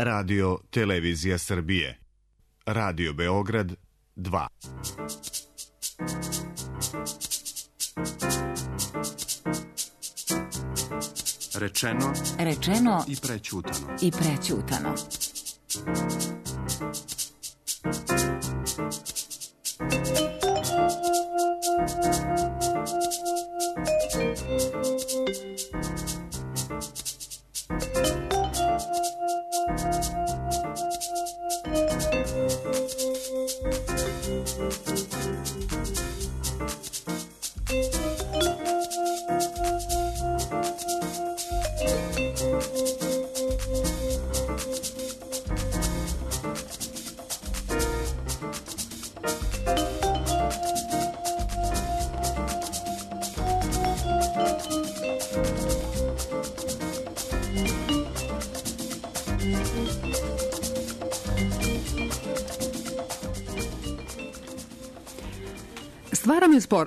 Radio Televizija Srbije. Radio Beograd 2. Rečeno i prećutano.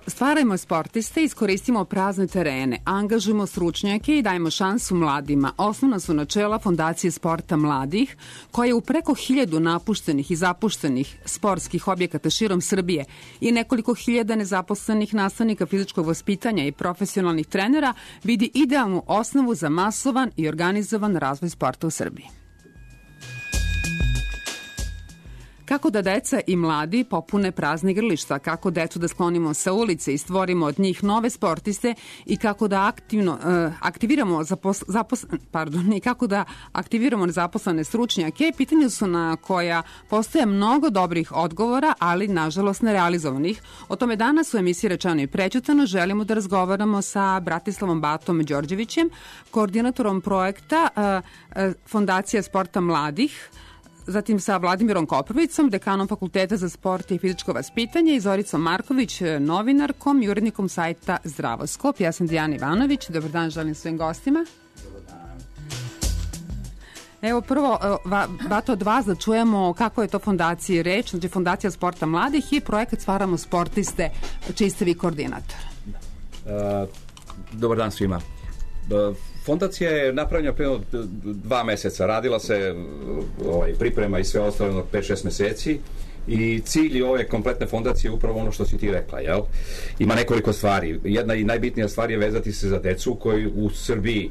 Stvarajmo sportiste, iskoristimo prazne terene, angažujemo stručnjake i dajmo šansu mladima. Osnovna su načela Fondacije sporta mladih, koja je u preko 1000 napuštenih i zapuštenih sportskih objekata širom Srbije i nekoliko hiljada nezaposlenih nastavnika fizičkog vaspitanja i profesionalnih trenera vidi idealnu osnovu za masovan i organizovan razvoj sporta u Srbiji. Kako da deca i mladi popune prazne igrališta, kako decu da sklonimo sa ulice i stvorimo od njih nove sportiste i kako da aktiviramo nezaposlene stručnjake, pitanja su na koja postoje mnogo dobrih odgovora, ali nažalost nerealizovanih. O tome danas u emisiji Rečeno i prećutano želimo da razgovaramo sa Bratislavom Batom Đorđevićem, koordinatorom projekta Fondacija sporta mladih, zatim sa Vladimirom Koprovicom, dekanom Fakulteta za sport i fizičko vaspitanje i Zoricom Marković, novinarkom i urednikom sajta Zdravoskop. Ja sam Dijana Ivanović. Dobar dan, želim svojim gostima. Evo prvo, Bato, od vas da čujemo kako je to fondaciji reč, znači Fondacija sporta mladih i projekat Stvaramo sportiste, čiji ste vi koordinator. Dobar dan svima. Fondacija je napravljena prema 2 meseca, radila se priprema i sve ostalo 5-6 meseci i cilj ove kompletne fondacije je upravo ono što si ti rekla, jel? Ima nekoliko stvari. Jedna i najbitnija stvar je vezati se za decu koji u Srbiji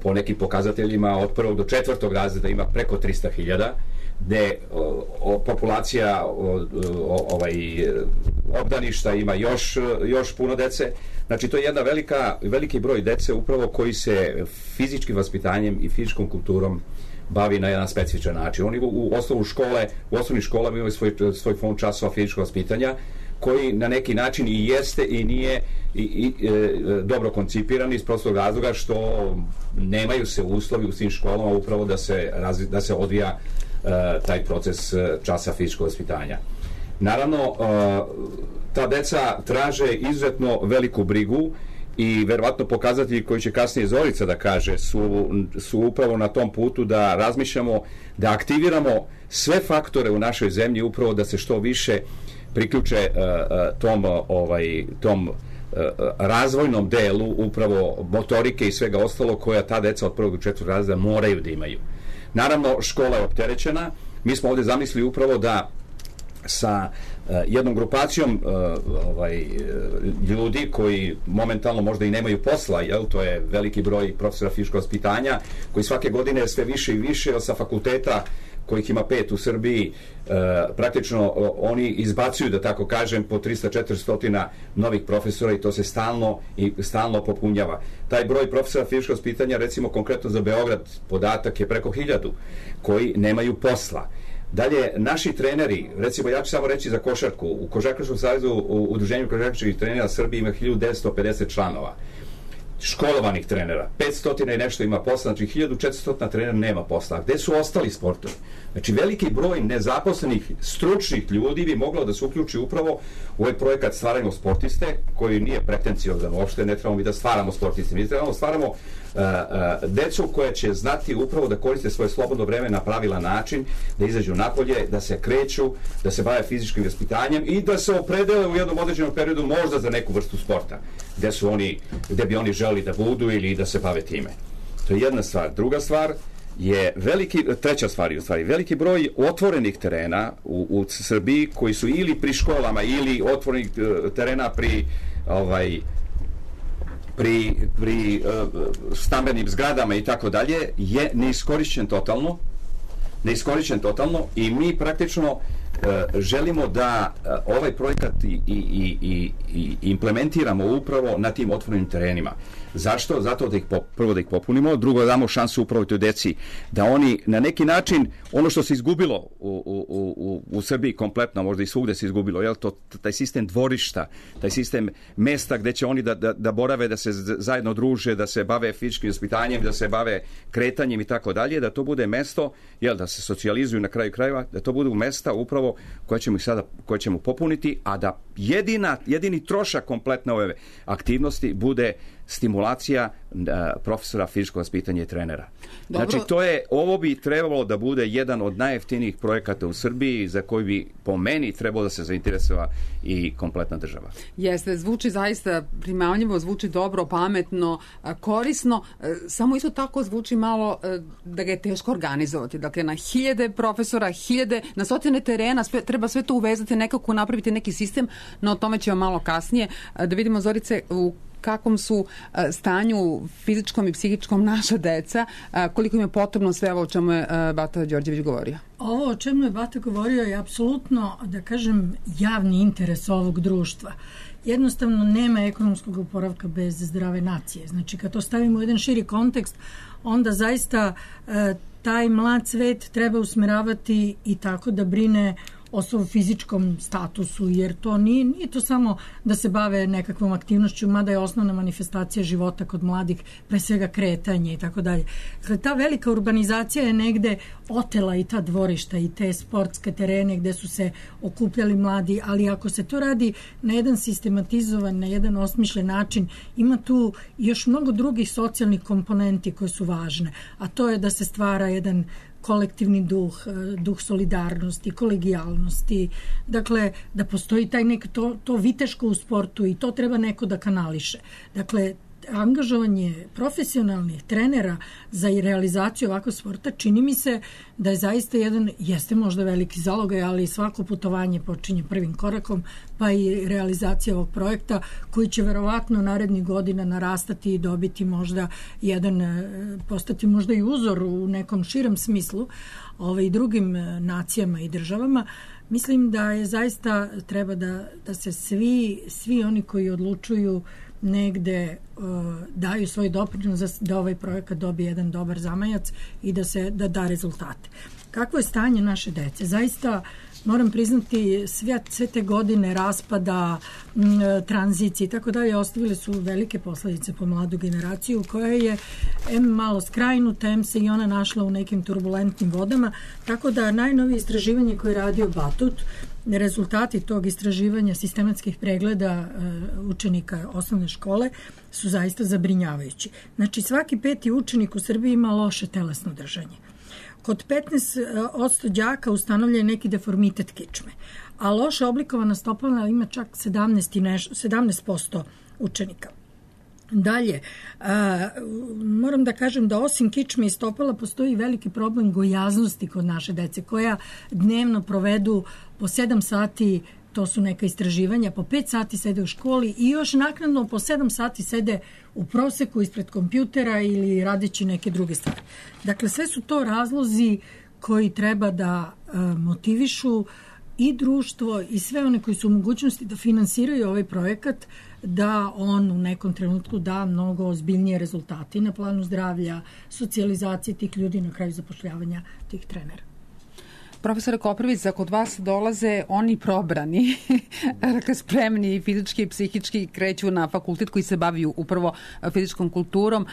po nekim pokazateljima od 1. do 4. razreda ima preko 300.000, gde populacija obdaništa ima još puno dece. Znači, to je jedna veliki broj dece upravo koji se fizičkim vaspitanjem i fizičkom kulturom bavi na jedan specifičan način. Oni u osnovnim školama imaju svoj fond časova fizičkog vaspitanja, koji na neki način i jeste i nije dobro koncipiran iz prostog razloga što nemaju se uslovi u svim školama upravo da se odvija taj proces časa fizičkog vaspitanja. Naravno, ta deca traže izuzetno veliku brigu i verovatno pokazatelji koji će kasnije Zorica da kaže su upravo na tom putu da razmišljamo, da aktiviramo sve faktore u našoj zemlji upravo da se što više priključe tom razvojnom delu upravo motorike i svega ostalo koja ta deca od 1. do 4. razreda moraju da imaju. Naravno, škola je opterećena. Mi smo ovde zamislili upravo da sa jednom grupacijom ljudi koji momentalno možda i nemaju posla, jel, to je veliki broj profesora fizičkog vaspitanja koji svake godine sve više i više sa fakulteta kojih ima 5 u Srbiji, praktično oni izbacuju, da tako kažem, po 300-400 novih profesora i to se stalno popunjava. Taj broj profesora fizičkog vaspitanja, recimo konkretno za Beograd, podatak je preko 1000 koji nemaju posla. Dalje, naši treneri, recimo ja ću samo reći za košarku, u Košarkaškom savezu, u Udruženju košarkaških trenera Srbije ima 1950 članova. Školovanih trenera, 500 i nešto ima posla, znači 1400 trenera nema posla. Gde su ostali sportovi? Znači veliki broj nezaposlenih stručnih ljudi bi moglo da se uključi upravo u ovaj projekat Stvarajmo sportiste, koji nije pretenciozan uopšte, ne trebamo mi da stvaramo sportiste, mi trebamo da stvaramo decu koja će znati upravo da koriste svoje slobodno vreme na pravilan način, da izađu napolje, da se kreću, da se bave fizičkim vaspitanjem i da se opredele u jednom određenom periodu možda za neku vrstu sporta, gde bi oni želeli da budu ili da se bave time. To je jedna stvar. Druga stvar je treća stvar, veliki broj otvorenih terena u Srbiji koji su ili pri školama ili otvorenih terena pri stambenim zgradama i tako dalje je neiskorišćen totalno i mi praktično želimo da ovaj projekat i implementiramo upravo na tim otvorenim terenima. Zašto? Zato prvo da ih popunimo, drugo da damo šansu upravo toj deci da oni na neki način ono što se izgubilo u Srbiji kompletno, možda i svugde se izgubilo, jel to taj sistem dvorišta, taj sistem mesta gde će oni da borave, da se zajedno druže, da se bave fizičkim vaspitanjem, da se bave kretanjem i tako dalje, da to bude mesto, jel da se socijalizuju na kraju krajeva, da to budu mesta upravo koje ćemo popuniti, a da jedini trošak kompletne ove aktivnosti bude stimulacija profesora fizičkog vaspitanja i trenera. Dobro. Znači, ovo bi trebalo da bude jedan od najjeftinijih projekata u Srbiji za koji bi po meni trebalo da se zainteresova i kompletna država. Jeste, zvuči zaista primamljivo, zvuči dobro, pametno, korisno, samo isto tako zvuči malo da ga je teško organizovati. Dakle, na hiljade profesora, na stotine terena, treba sve to uvezati, nekako napraviti neki sistem, no o tome ćemo malo kasnije. Da vidimo, Zorice, u kakvom su stanju fizičkom i psihičkom naša deca, koliko im je potrebno sve ovo o čemu je Bata Đorđević govorio? Ovo o čemu je Bata govorio je apsolutno, da kažem, javni interes ovog društva. Jednostavno nema ekonomskog oporavka bez zdrave nacije. Znači, kad to stavimo u jedan širi kontekst, onda zaista taj mlad svet treba usmeravati i tako da brine o svom fizičkom statusu, jer to nije to samo da se bave nekakvom aktivnošću, mada je osnovna manifestacija života kod mladih, pre svega kretanje i tako dalje. Dakle, ta velika urbanizacija je negde otela i ta dvorišta i te sportske terene gde su se okupljali mladi, ali ako se to radi na jedan sistematizovan, na jedan osmišljen način, ima tu još mnogo drugih socijalnih komponenti koje su važne, a to je da se stvara jedan kolektivni duh solidarnosti, kolegijalnosti, dakle da postoji taj to viteško u sportu i to treba neko da kanališe. Dakle, angažovanje profesionalnih trenera za realizaciju ovakvog sporta čini mi se da je zaista jeste možda veliki zalogaj, ali svako putovanje počinje prvim korakom, pa i realizacija ovog projekta koji će verovatno narednih godina narastati i dobiti možda postati možda i uzor u nekom širem smislu i drugim nacijama i državama. Mislim da je zaista treba da se svi oni koji odlučuju negde daju svoj doprinos da ovaj projekat dobije jedan dobar zamajac i da da rezultate. Kakvo je stanje naše dece? Zaista moram priznati sve te godine raspada, tranzicije i tako dalje ostavile su velike posledice po mladu generaciju koja je malo skrajnuta, se i ona našla u nekim turbulentnim vodama, tako da najnovije istraživanje koje je radio Batut, rezultati tog istraživanja sistematskih pregleda učenika osnovne škole su zaista zabrinjavajući. Znači, svaki 5. učenik u Srbiji ima loše telesno držanje. Kod 15% đaka ustanovljen je neki deformitet kičme, a loše oblikovana stopala ima čak 17% učenika. Dalje, moram da kažem da osim kičme i stopala postoji veliki problem gojaznosti kod naše dece koja dnevno provedu po 7 sati, to su neka istraživanja, po 5 sati sede u školi i još naknadno po 7 sati sede u proseku ispred kompjutera ili radeći neke druge stvari. Dakle, sve su to razlozi koji treba da motivišu i društvo i sve one koji su u mogućnosti da finansiraju ovaj projekat, da on u nekom trenutku da mnogo ozbiljnije rezultate na planu zdravlja, socijalizacije tih ljudi, na kraju zapošljavanja tih trenera. Profesore Koprivić, kod vas dolaze oni probrani, dakle spremni fizički i psihički, kreću na fakultet koji se bavi upravo fizičkom kulturom,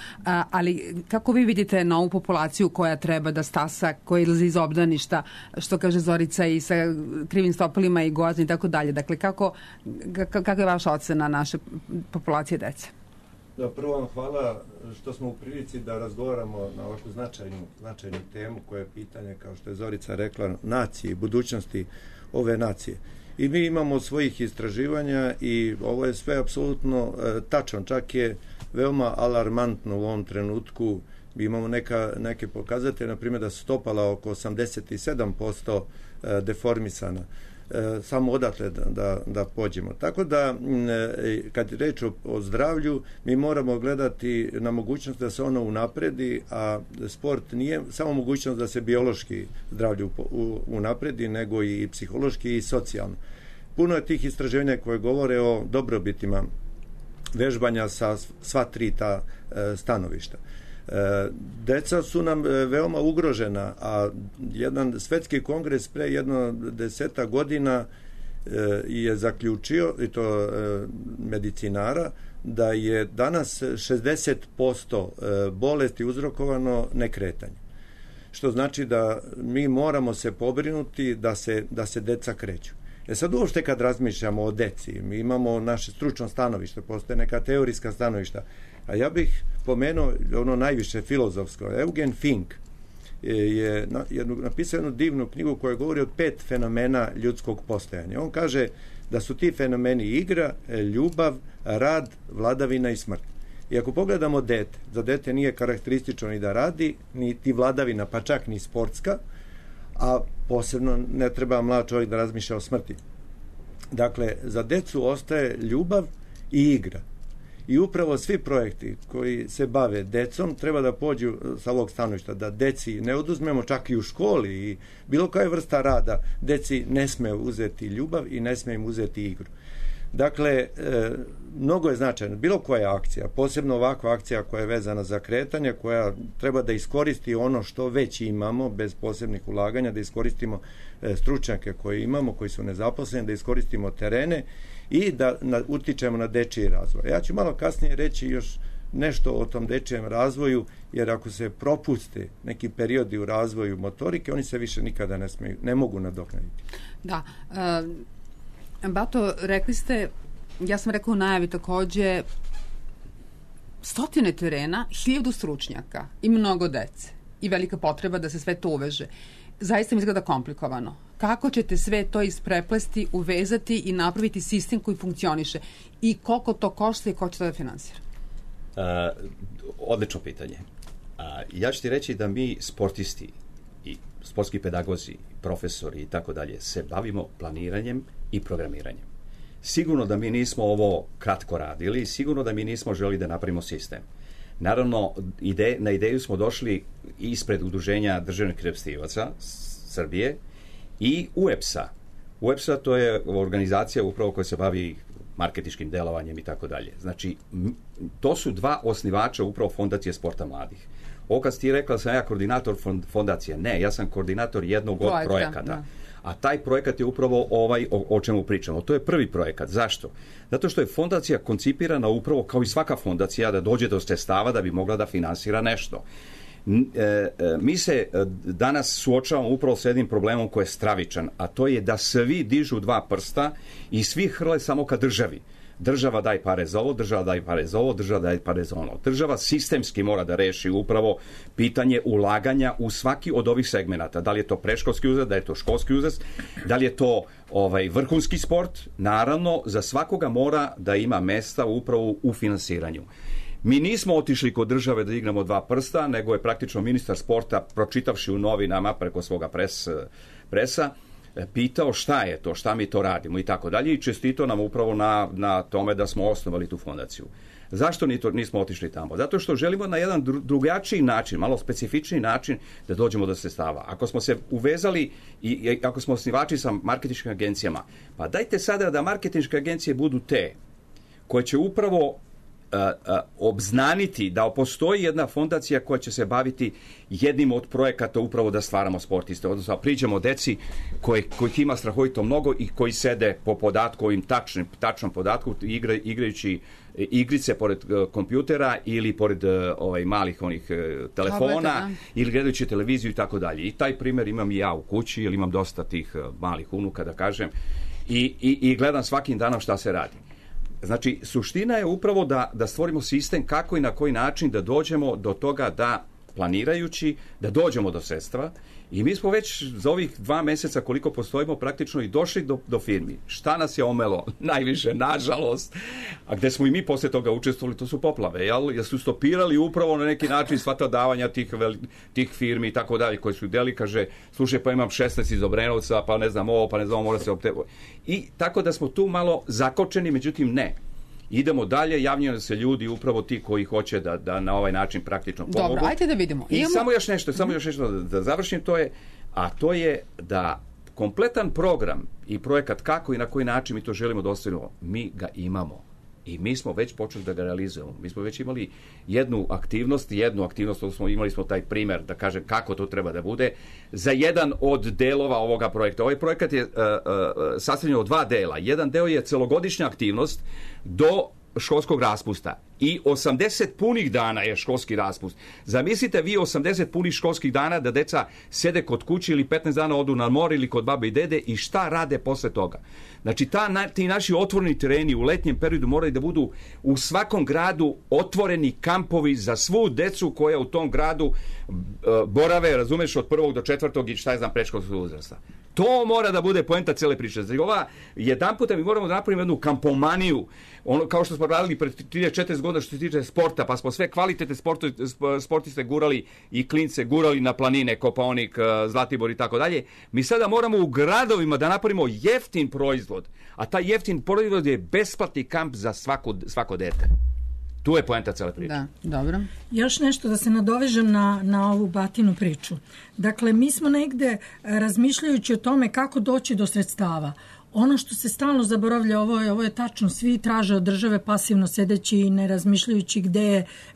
ali kako vi vidite novu populaciju koja treba da stasa, koja izlazi iz obdaništa, što kaže Zorica, i sa krivim stopalima i gojazni i tako dalje. Dakle, kako je vaša ocena naše populacije dece? Da, prvo vam hvala što smo u prilici da razgovaramo na ovakvu značajnu temu koja je pitanje, kao što je Zorica rekla, nacije i budućnosti ove nacije. I mi imamo svojih istraživanja i ovo je sve apsolutno tačno, čak je veoma alarmantno u ovom trenutku Mi imamo neke pokazatelje, na primjer da su stopala oko 87% deformisana. Samo odatle da pođemo. Tako da, kad je reč o zdravlju, mi moramo gledati na mogućnost da se ono unapredi, a sport nije samo mogućnost da se biološki zdravlje unapredi, nego i psihološki i socijalno. Puno je tih istraživanja koje govore o dobrobitima vežbanja sa sva tri ta stanovišta. Deca su nam veoma ugrožena, a jedan svetski kongres pre 10 godina je zaključio, i to medicinara, da je danas 60% bolesti uzrokovano nekretanjem. Što znači da mi moramo se pobrinuti da se deca kreću. Sad uopšte kad razmišljamo o deci, mi imamo naše stručno stanovište, postoje neka teorijska stanovišta, a ja bih pomenuo ono najviše filozofsko. Eugen Fink je napisao jednu divnu knjigu koja govori o 5 fenomena ljudskog postojanja. On kaže da su ti fenomeni igra, ljubav, rad, vladavina i smrt. I ako pogledamo dete, za dete nije karakteristično ni da radi, niti vladavina, pa čak ni sportska, a posebno ne treba mlad čovjek da razmišlja o smrti. Dakle, za decu ostaje ljubav i igra. I upravo svi projekti koji se bave decom treba da pođu sa ovog stanovišta, da deci ne oduzmemo čak i u školi i bilo koja vrsta rada, deci ne sme uzeti ljubav i ne sme im uzeti igru. Dakle, mnogo je značajno. Bilo koja akcija, posebno ovakva akcija koja je vezana za kretanje, koja treba da iskoristi ono što već imamo, bez posebnih ulaganja, da iskoristimo stručnjake koje imamo, koji su nezaposleni, da iskoristimo terene i da utičemo na dečiji razvoj. Ja ću malo kasnije reći još nešto o tom dečijem razvoju, jer ako se propuste neki periodi u razvoju motorike, oni se više nikada ne mogu nadoknaditi. Da. Bato, rekli ste, ja sam rekao u najavi takođe, 100 terena, 1000 stručnjaka i mnogo dece i velika potreba da se sve to uveže. Zaista mi izgleda komplikovano. Kako ćete sve to ispreplesti, uvezati i napraviti sistem koji funkcioniše? I koliko to košta i ko će to da finansira? Odlično pitanje. Ja ću ti reći da mi sportisti i sportski pedagozi, profesori i tako dalje se bavimo planiranjem i programiranjem. Sigurno da mi nismo ovo kratko radili, sigurno da mi nismo želi da napravimo sistem. Naravno, na ideju smo došli ispred Udruženja državnih reprezentativaca Srbije i UEPS-a. UEPS-a to je organizacija upravo koja se bavi marketinškim delovanjem i tako dalje. Znači, to su 2 osnivača upravo Fondacije sporta mladih. Ovo kad si ti rekla da sam ja koordinator fondacije, ne, ja sam koordinator jednog od projekata. Da. A taj projekat je upravo ovaj o čemu pričamo. To je prvi projekat. Zašto? Zato što je fondacija koncipirana upravo kao i svaka fondacija da dođe do sredstava da bi mogla da finansira nešto. Mi se danas suočavamo upravo s jednim problemom koji je stravičan, a to je da svi dižu 2 prsta i svi hrle samo ka državi. Država daj pare za ovo, država daj pare za ovo, država daj pare za ono. Država sistemski mora da reši upravo pitanje ulaganja u svaki od ovih segmenata. Da li je to predškolski uzrast, da li je to školski uzrast, da li je to vrhunski sport. Naravno, za svakoga mora da ima mesta upravo u finansiranju. Mi nismo otišli kod države da igramo 2 prsta, nego je praktično ministar sporta, pročitavši u novinama preko svoga presa, pitao šta je to, šta mi to radimo i tako dalje i čestitao nam upravo na tome da smo osnovali tu fondaciju. Zašto nismo otišli tamo? Zato što želimo na jedan drugačiji način, malo specifični način da dođemo do sredstava. Ako smo se uvezali i ako smo osnivači sa marketinškim agencijama, pa dajte sada da marketinške agencije budu te koje će upravo obznaniti da postoji jedna fondacija koja će se baviti jednim od projekata upravo da stvaramo sportiste, odnosno priđemo deci kojih ima strahovito mnogo i koji sede po podatku, ovim tačnom podatku, igrajući igrice pored kompjutera ili pored malih onih telefona ili gledajući televiziju i tako dalje. I taj primjer imam i ja u kući, jer imam dosta tih malih unuka, da kažem, i gledam svakim danom šta se radi. Znači, suština je upravo da stvorimo sistem kako i na koji način da dođemo do toga da planirajući da dođemo do sredstva i mi smo već za ovih 2 meseca koliko postojimo praktično i došli do firmi. Šta nas je omelo? Najviše, nažalost, a gde smo i mi posle toga učestvovali, to su poplave, jer su stopirali upravo na neki način sva ta davanja tih firmi i tako dalje, koji su deli, kaže, slušaj, pa imam 16 iz Obrenovca, pa ne znam ovo, pa ne znam ovo, mora se optevati. I tako da smo tu malo zakočeni, međutim ne. Idemo dalje, javljaju se ljudi, upravo ti koji hoće da na ovaj način praktično pomogu. Dobro, ajde da vidimo. I samo još nešto da završim, to je da kompletan program i projekat kako i na koji način mi to želimo da ostvarimo, mi ga imamo. I mi smo već počeli da ga realizujemo. Mi smo već imali jednu aktivnost, imali smo taj primer, da kažem kako to treba da bude, za jedan od delova ovoga projekta. Ovaj projekat je sastavljen od 2 dela. Jedan deo je celogodišnja aktivnost do školskog raspusta i 80 punih dana je školski raspust. Zamislite vi 80 punih školskih dana da deca sede kod kuće ili 15 dana odu na more ili kod babe i dede i šta rade posle toga. Znači ti naši otvoreni tereni u letnjem periodu moraju da budu u svakom gradu otvoreni kampovi za svu decu koja u tom gradu borave, razumeš, od 1. do 4. i šta je znam predškolskog uzrasta. To mora da bude poenta cele priče. Znači, jedan puta mi moramo da napravimo jednu kampomaniju, ono kao što smo radili pred 34 godina što se tiče sporta, pa smo sve kvalitetne sportiste gurali i klince gurali na planine, Kopaonik, Zlatibor i tako dalje. Mi sada moramo u gradovima da napravimo jeftin proizvod, a taj jeftin proizvod je besplatni kamp za svako dete. Tu je poenta cele priče. Da, dobro. Još nešto da se nadovežem na ovu Batinu priču. Dakle, mi smo negde razmišljajući o tome kako doći do sredstava. Ono što se stalno zaboravlja, ovo je tačno, svi traže od države pasivno sedeći i ne razmišljajući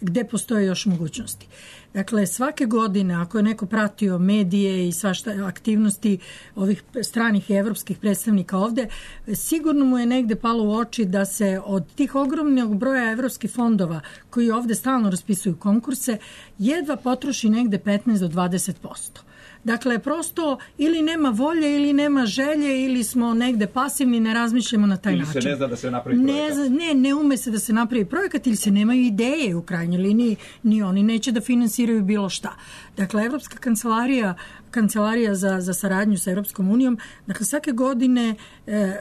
gde postoje još mogućnosti. Dakle, svake godine, ako je neko pratio medije i svašta aktivnosti ovih stranih i evropskih predstavnika ovde, sigurno mu je negde palo u oči da se od tih ogromnog broja evropskih fondova koji ovde stalno raspisuju konkurse, jedva potroši negde 15 do 20%. Dakle, prosto ili nema volje, ili nema želje, ili smo negde pasivni, ne razmišljamo na taj način. Ili se ne zna da se napravi projekat. Ne ume se da se napravi projekat, ili se nemaju ideje u krajnjoj liniji, ni oni neće da finansiraju bilo šta. Dakle, Evropska kancelarija za saradnju sa Evropskom unijom, dakle, svake godine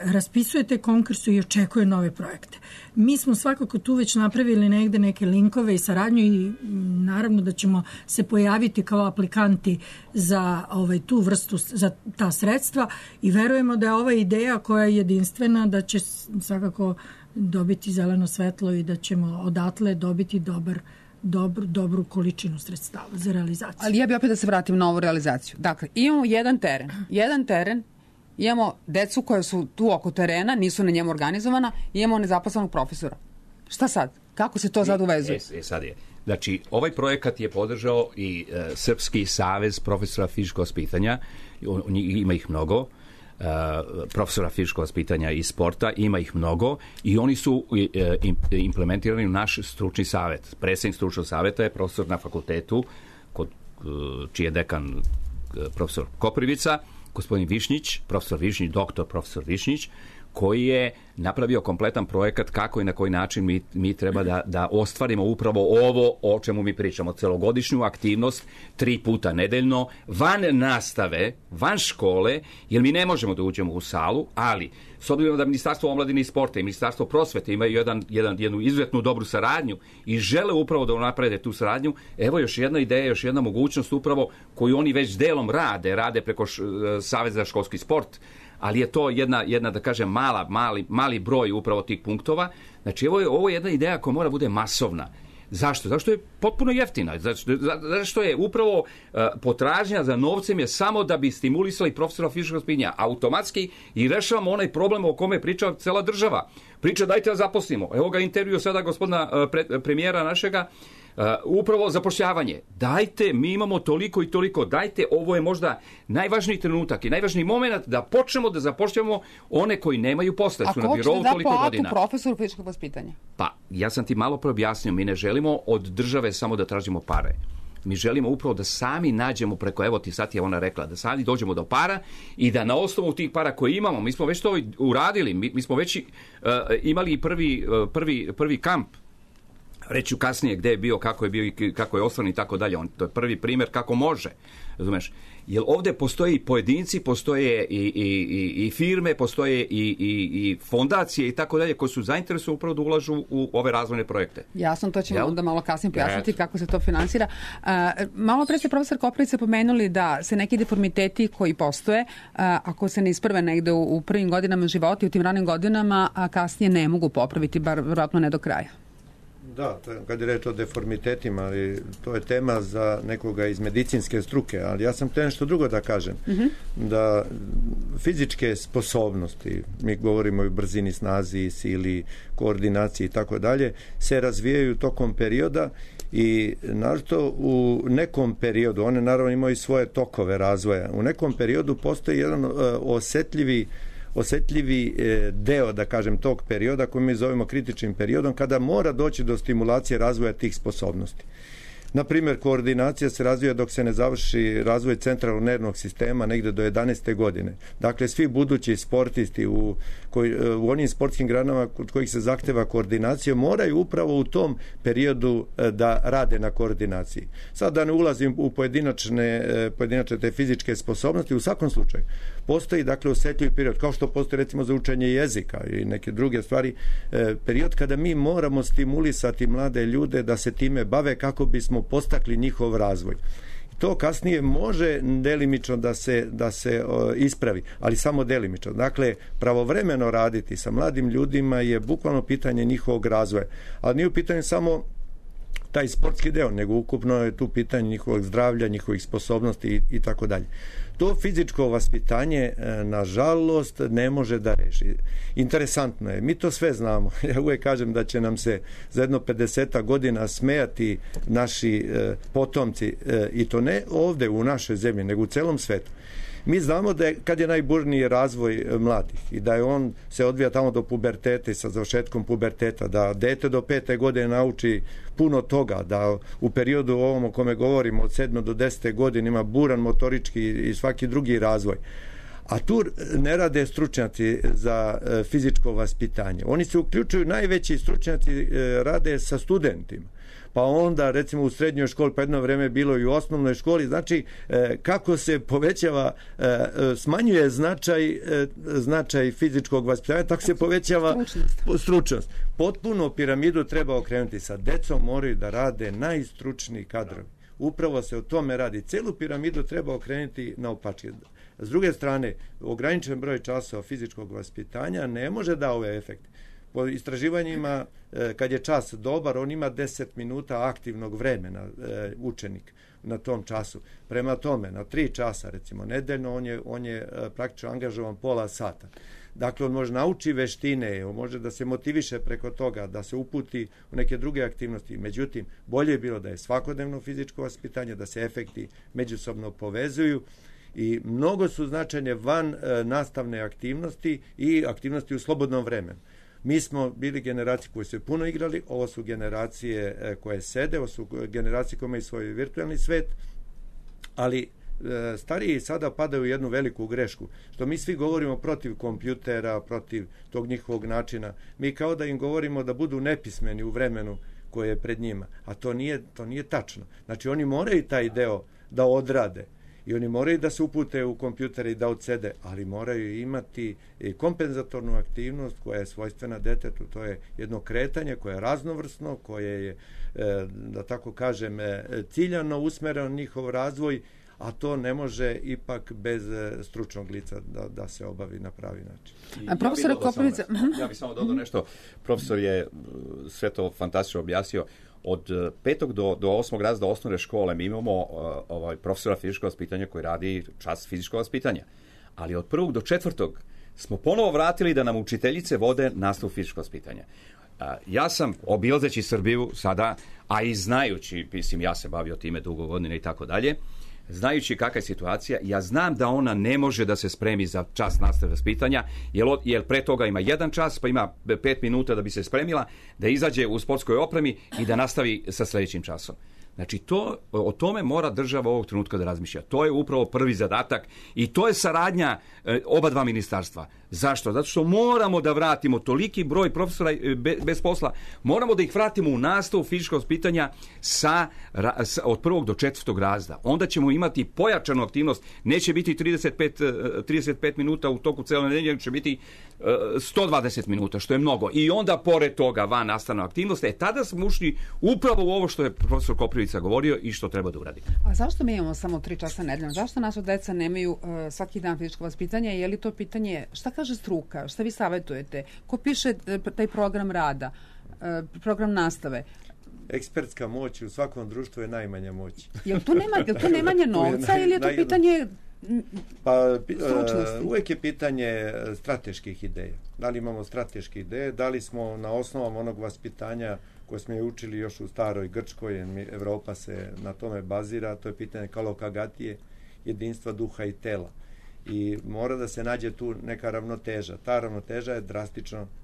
raspisuje te konkurse i očekuje nove projekte. Mi smo svakako tu već napravili negde neke linkove i saradnju i naravno da ćemo se pojaviti kao aplikanti za tu vrstu, za ta sredstva i verujemo da je ova ideja koja je jedinstvena, da će svakako dobiti zeleno svetlo i da ćemo odatle dobiti dobru količinu sredstava za realizaciju. Ali ja bih opet da se vratim na ovu realizaciju. Dakle, imamo jedan teren, imamo decu koja su tu oko terena, nisu na njemu organizovana, imamo nezaposlenog profesora. Šta sad? Kako se to sad uvezuje? Sad je. Znači, ovaj projekat je podržao i Srpski savez profesora fizičkog vaspitanja, ima ih mnogo, profesora fizičkog vaspitanja i sporta, ima ih mnogo i oni su implementirani u naš stručni savet. Predsednik stručnog saveta je profesor na fakultetu, čiji je dekan profesor Koprivica, gospodin Višnjić, doktor profesor Višnjić, koji je napravio kompletan projekat kako i na koji način mi treba da ostvarimo upravo ovo o čemu mi pričamo, celogodišnju aktivnost 3 puta nedeljno, van nastave, van škole, jer mi ne možemo da uđemo u salu, ali s obzirom da Ministarstvo omladine i sporta i Ministarstvo prosvete imaju jednu izuzetnu dobru saradnju i žele upravo da naprede tu saradnju, evo još jedna ideja, još jedna mogućnost upravo koju oni već delom rade preko Saveza za školski sport, ali je to jedna da kažem, mali broj upravo tih punktova. Znači, ovo je jedna ideja koja mora bude masovna. Zašto? Zašto je potpuno jeftina? Zašto je upravo potražnja za novcem je samo da bi stimulisali profesora fizičkog vaspitanja automatski i rešavamo onaj problem o kome priča cela država. Priča dajte da zaposlimo. Evo ga intervju sada gospodina premijera našega, upravo zapošljavanje. Dajte, mi imamo toliko i toliko, dajte, ovo je možda najvažniji trenutak i najvažniji moment da počnemo da zapošljavamo one koji nemaju posla, su na birovu toliko godina. A ko će da da platu profesoru fizičkog vaspitanja? Pa, ja sam ti malo preobjasnio, mi ne želimo od države samo da tražimo pare. Mi želimo upravo da sami nađemo preko, evo ti sad je ona rekla, da sami dođemo do para i da na osnovu tih para koje imamo, mi smo već to uradili, mi smo već imali prvi kamp reću kasnije gde je bio, kako je bio i kako je osnovan i tako dalje. To je prvi primjer kako može, razumeš? Jer ovdje postoje i pojedinci, postoje i firme, postoje i fondacije i tako dalje koji su zainteresovani upravo da ulažu u ove razvojne projekte. Jasno, to ćemo onda malo kasnije pojasniti kako se to finansira. Malo pre ste, profesor Koprivica, pomenuli da se neki deformiteti koji postoje, ako se ne isprve negde u prvim godinama života i u tim ranim godinama, a kasnije ne mogu popraviti, bar vjerojatno ne do kraja. Da, kad je reč o deformitetima, ali to je tema za nekoga iz medicinske struke, ali ja sam htio nešto drugo da kažem. Da fizičke sposobnosti, mi govorimo o brzini, snazi, sili, koordinaciji i tako dalje, se razvijaju tokom perioda i naravno u nekom periodu, one naravno imaju svoje tokove razvoja, u nekom periodu postoji jedan osjetljivi deo, da kažem, tog perioda koji mi zovemo kritičnim periodom, kada mora doći do stimulacije razvoja tih sposobnosti. Na primjer, koordinacija se razvija dok se ne završi razvoj centralnog nervnog sistema negdje do 11. godine. Dakle, svi budući sportisti u onim sportskim granama kod kojih se zahteva koordinacija moraju upravo u tom periodu da rade na koordinaciji. Sad da ne ulazim u pojedinačne te fizičke sposobnosti, u svakom slučaju postoji, dakle, osjetljivi period, kao što postoji recimo za učenje jezika i neke druge stvari, period kada mi moramo stimulisati mlade ljude da se time bave kako bismo postakli njihov razvoj. To kasnije može delimično da se ispravi, ali samo delimično. Dakle, pravovremeno raditi sa mladim ljudima je bukvalno pitanje njihovog razvoja. Ali nije u pitanju samo taj sportski deo, nego ukupno je tu pitanje njihovog zdravlja, njihovih sposobnosti i tako dalje. To fizičko vaspitanje, nažalost, ne može da reši. Interesantno je, mi to sve znamo. Ja uvijek kažem da će nam se za jedno 50 godina smejati naši potomci, i to ne ovdje u našoj zemlji, nego u celom svetu. Mi znamo da je, kad je najburniji razvoj mladih i da je on se odvija tamo do puberteta i sa završetkom puberteta, da dete do 5. godine nauči puno toga, da u periodu ovom o kome govorimo od 7. do 10. godine ima buran motorički i svaki drugi razvoj. A tu ne rade stručnjaci za fizičko vaspitanje. Oni se uključuju, najveći stručnjaci rade sa studentima. Pa onda recimo u srednjoj školi, pa jedno vreme bilo i u osnovnoj školi, znači kako se povećava, smanjuje značaj fizičkog vaspitanja, tako se povećava stručnost. Potpuno piramidu treba okrenuti, sa decom moraju da rade najstručniji kadrovi. Upravo se o tome radi. Celu piramidu treba okrenuti naopačke. S druge strane, ograničen broj časova fizičkog vaspitanja ne može da ove efekte. Po istraživanjima, kad je čas dobar, on ima 10 minuta aktivnog vremena, učenik na tom času. Prema tome, na 3 časa, recimo, nedeljno, on je praktično angažovan pola sata. Dakle, on može nauči veštine, on može da se motiviše preko toga, da se uputi u neke druge aktivnosti. Međutim, bolje je bilo da je svakodnevno fizičko vaspitanje, da se efekti međusobno povezuju i mnogo su značajne van nastavne aktivnosti i aktivnosti u slobodnom vremenu. Mi smo bili generacije koji su puno igrali, ovo su generacije koje sede, ovo su generacije koje imaju svoj virtualni svet, ali stariji sada padaju u jednu veliku grešku, što mi svi govorimo protiv kompjutera, protiv tog njihovog načina. Mi kao da im govorimo da budu nepismeni u vremenu koje je pred njima, a to nije tačno. Znači oni moraju taj deo da odrade i oni moraju da se upute u kompjutere i da odsede, ali moraju imati i kompenzatornu aktivnost koja je svojstvena detetu. To je jedno kretanje koje je raznovrsno, koje je, da tako kažem, ciljano usmereno njihov razvoj, a to ne može ipak bez stručnog lica da se obavi na pravi način. A profesor Koprivica... Ja bih samo dodao nešto. Profesor je sve to fantastično objasnio. Od 5. do 8. razreda osnovne škole mi imamo profesora fizičkog vaspitanja koji radi čas fizičkog vaspitanja. Ali od 1. do 4. smo ponovo vratili da nam učiteljice vode nastavu fizičkog vaspitanja. Ja sam, obilazeći Srbiju sada, a i znajući, mislim, ja se bavio time dugo godina i tako dalje, znajući kakva je situacija, ja znam da ona ne može da se spremi za čas nastave vaspitanja, jer pre toga ima 1 čas, pa ima 5 minuta da bi se spremila, da izađe u sportskoj opremi i da nastavi sa sljedećim časom. Znači, o tome mora država ovog trenutka da razmišlja. To je upravo prvi zadatak i to je saradnja oba dva ministarstva. Zašto? Zato što moramo da vratimo toliki broj profesora bez posla, moramo da ih vratimo u nastavu fizičkog vaspitanja od 1. do 4. razreda. Onda ćemo imati pojačanu aktivnost. Neće biti 35 minuta u toku cele nedelje, će biti 120 minuta, što je mnogo. I onda, pored toga, van nastavna aktivnost. Tada smo ušli upravo u ovo što je profesor Koprivica govorio i što treba da uradi. A zašto mi imamo samo 3 časa nedeljno? Zašto naša deca nemaju svaki dan fizičko vaspitanje? Je li to pitanje, šta kaže struka? Šta vi savjetujete? Ko piše taj program rada? Program nastave? Ekspertska moć u svakom društvu je najmanja moć. Je li to nemanje novca ili je to pitanje stručnosti? Uvijek je pitanje strateških ideja. Da li imamo strateške ideje? Da li smo na osnovama onog vaspitanja koje smo je učili još u staroj Grčkoj, Evropa se na tome bazira, to je pitanje kalokagatije, jedinstva duha i tela. I mora da se nađe tu neka ravnoteža. Ta ravnoteža je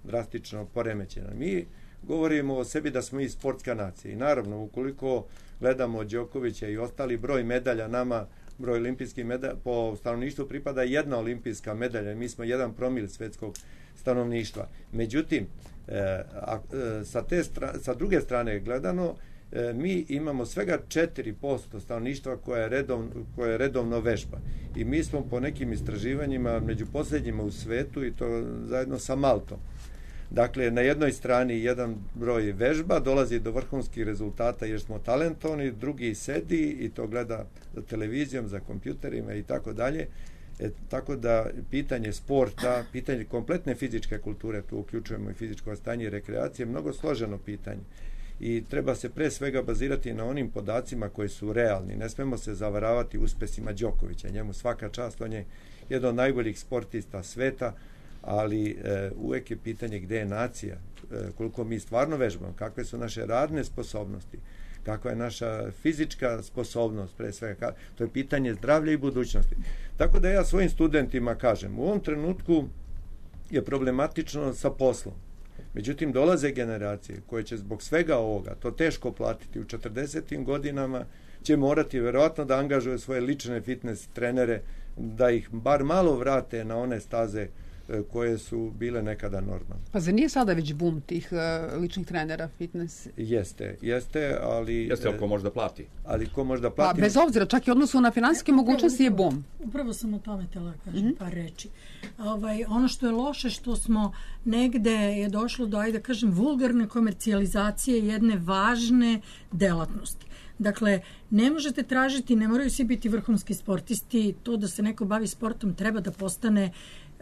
drastično poremećena. Mi govorimo o sebi da smo i sportska nacija. I naravno, ukoliko gledamo Đokovića i ostali, broj medalja nama, broj olimpijskih medalja, po stanovništvu pripada 1 olimpijska medalja. Mi smo 1 promil svetskog stanovništva. Međutim, sa druge strane gledano, mi imamo svega 4% stanovništva koje je redovno vežba. I mi smo po nekim istraživanjima među posljednjima u svetu i to zajedno sa Maltom. Dakle, na jednoj strani jedan broj vežba, dolazi do vrhunskih rezultata jer smo talentovani, drugi sedi i to gleda za televizijom, za kompjuterima i tako dalje. Tako da pitanje sporta, pitanje kompletne fizičke kulture, tu uključujemo i fizičko stanje i rekreacije, mnogo složeno pitanje. I treba se pre svega bazirati na onim podacima koji su realni. Ne smemo se zavaravati uspesima Đokovića. Njemu svaka čast, on je jedan od najboljih sportista sveta, ali uvek je pitanje gde je nacija, koliko mi stvarno vežbamo, kakve su naše radne sposobnosti, kakva je naša fizička sposobnost, pre svega. To je pitanje zdravlja i budućnosti. Tako da ja svojim studentima kažem, u ovom trenutku je problematično sa poslom. Međutim, dolaze generacije koje će zbog svega ovoga to teško platiti u 40. godinama, će morati verovatno da angažuju svoje lične fitness trenere, da ih bar malo vrate na one staze koje su bile nekada normalne. Pa zar nije sada već bum tih ličnih trenera fitness? Jeste, ali... Jeste, ako može da plati. Ali ko može da plati... Pa bez obzira, čak i odnosu na finansijske mogućnosti je bum. Upravo sam o tome tela kažem par reči. Ono što je loše, što smo negde je došlo do, ajde kažem, vulgarne komercijalizacije jedne važne delatnosti. Dakle, ne možete tražiti, ne moraju svi biti vrhunski sportisti, to da se neko bavi sportom treba da postane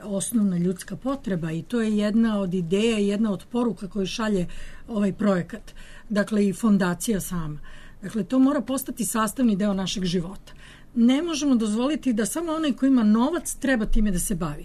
osnovna ljudska potreba i to je jedna od ideja i jedna od poruka koju šalje ovaj projekat. Dakle, i fondacija sama. Dakle, to mora postati sastavni deo našeg života. Ne možemo dozvoliti da samo onaj ko ima novac treba time da se bavi.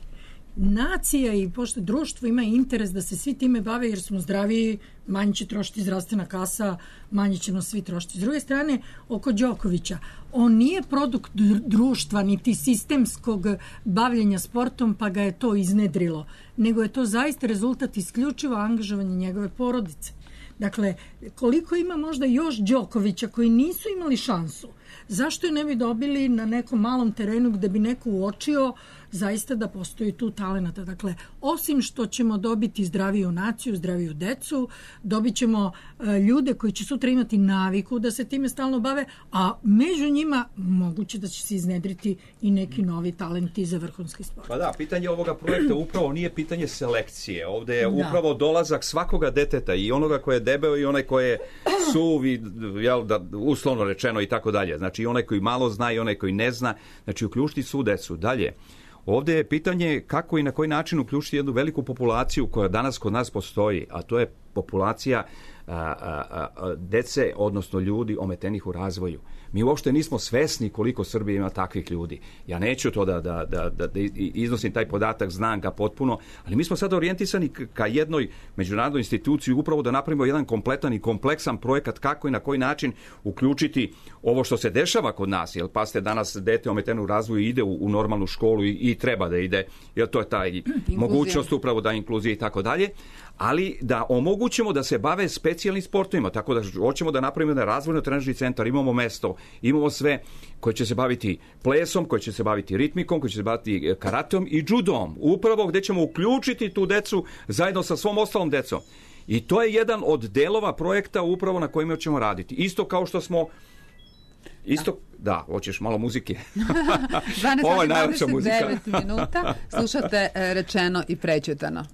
Nacija i pošto društvo ima interes da se svi time bave jer smo zdraviji, manje će trošiti zdravstvena kasa, manje ćemo svi trošiti. S druge strane, oko Đokovića, on nije produkt društva niti sistemskog bavljenja sportom pa ga je to iznedrilo, nego je to zaista rezultat isključivo angažovanja njegove porodice. Dakle, koliko ima možda još Đokovića koji nisu imali šansu, zašto je ne bi dobili na nekom malom terenu gde bi neko uočio zaista da postoji tu talenata. Dakle, osim što ćemo dobiti zdraviju naciju, zdraviju decu, dobit ćemo ljude koji će sutra imati naviku da se time stalno bave, a među njima moguće da će se iznedriti i neki novi talenti za vrhunski sport. Pa da, pitanje ovoga projekta upravo nije pitanje selekcije. Ovde je upravo dolazak svakoga deteta i onoga koje je debeo i onaj koje je suv i uslovno rečeno i tako dalje. Znači i onaj koji malo zna i onaj koji ne zna. Znači uključiti svu decu. Dalje. Ovdje je pitanje kako i na koji način uključiti jednu veliku populaciju koja danas kod nas postoji, a to je populacija dece, odnosno ljudi ometenih u razvoju. Mi uopšte nismo svesni koliko Srbija ima takvih ljudi. Ja neću to da iznosim taj podatak, znam ga potpuno, ali mi smo sad orijentisani ka jednoj međunarodnoj instituciji upravo da napravimo jedan kompletan i kompleksan projekat kako i na koji način uključiti ovo što se dešava kod nas. Jer pasite, danas dete ometeno u razvoju ide u normalnu školu i treba da ide, jer to je taj mogućnost upravo da inkluzija i tako dalje, ali da omogućimo da se bave specijalnim sportovima, tako da hoćemo da napravimo jedan razvojno-trenažni centar, imamo mesto, imamo sve koje će se baviti plesom, koje će se baviti ritmikom, koje će se baviti karateom i judom, upravo gde ćemo uključiti tu decu zajedno sa svom ostalom decom. I to je jedan od delova projekta upravo na kojima ćemo raditi. Isto kao što smo Da, hoćeš malo muzike. 12:29 minuta. Slušate Rečeno i prećutano.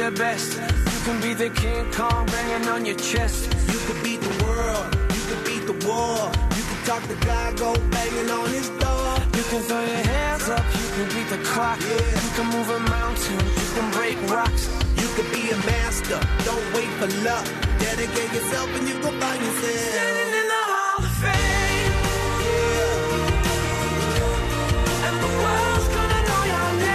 Best. You can be the King Kong banging on your chest. You could beat the world, you could beat the war. You can talk to God, go banging on his door. You can throw your hands up, you can beat the clock. Yeah. You can move a mountain, you can break rocks. You could be a master, don't wait for luck. Dedicate yourself and you go find yourself standing in the Hall of Fame. Yeah. And the world's gonna know your name.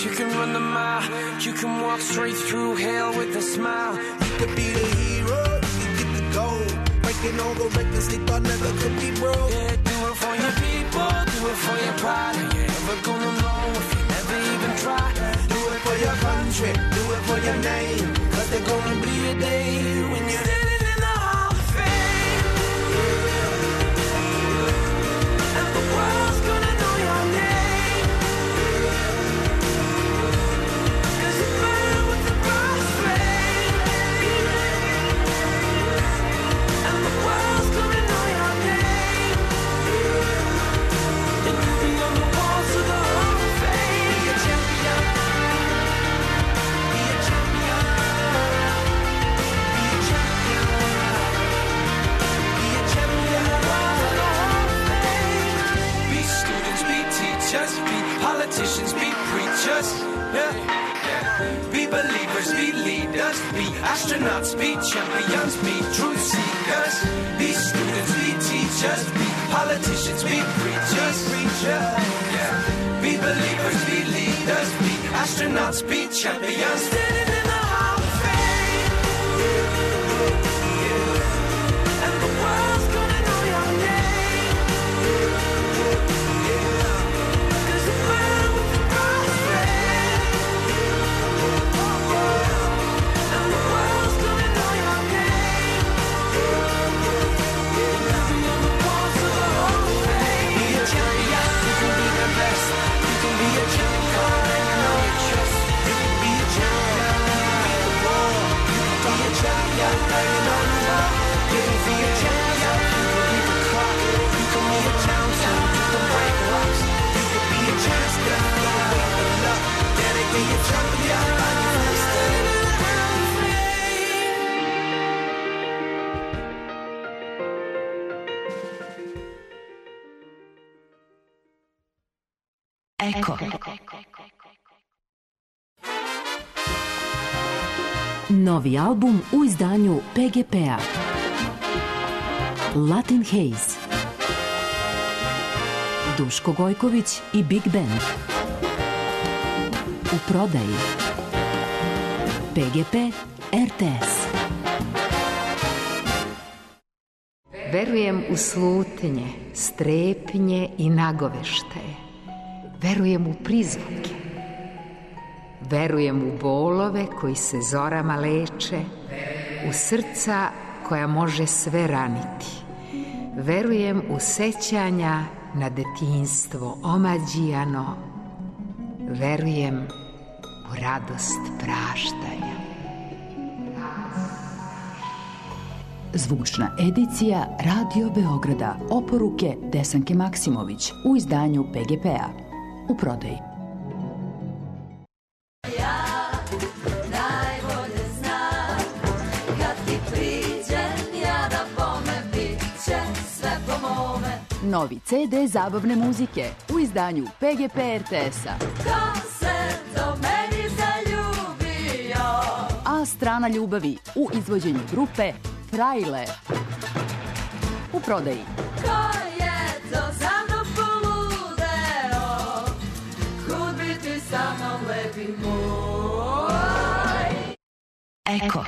You can run the mile, you can walk straight through hell with a smile. You could be the hero, you can get the gold. Breaking all the records they thought never could be broke. Yeah, do it for your people, do it for your pride. Are you ever gonna know if you never even try? Do it for your country, do it for your name. Cause there's gonna be a day when you're standing in the Hall of Fame. And the world's gonna know your name. Politicians, be preachers, yeah. Be believers, be leaders, be astronauts, be champions, be truth seekers. Be students, be teachers, be politicians, be preachers, yeah. Be believers, be leaders, be astronauts, be champions. Standing in the Hall of Fame. Yeah. And the world's gonna know your name. Eko. Novi album u izdanju PGP-a. Latin Haze. Duško Gojković i Big Band. U prodaji. PGP RTS. Verujem u slutnje, strepnje i nagoveštaje. Verujem u prizvuke. Verujem u bolove koji se zorama leče, u srca koja može sve raniti. Verujem u sećanja na detinjstvo omađijano, verujem u radost praštanja. Zvučna edicija Radio Beograda. Oporuke Desanke Maksimović u izdanju PGP-a. U prodaji. Novi CD zabavne muzike u izdanju PGP RTS-a. Ko se do meni zaljubio? A strana ljubavi u izvođenju grupe Frajle. U prodaji. Ko je to za mnom poludeo? Kud biti sa mnom lepi moj? Eko.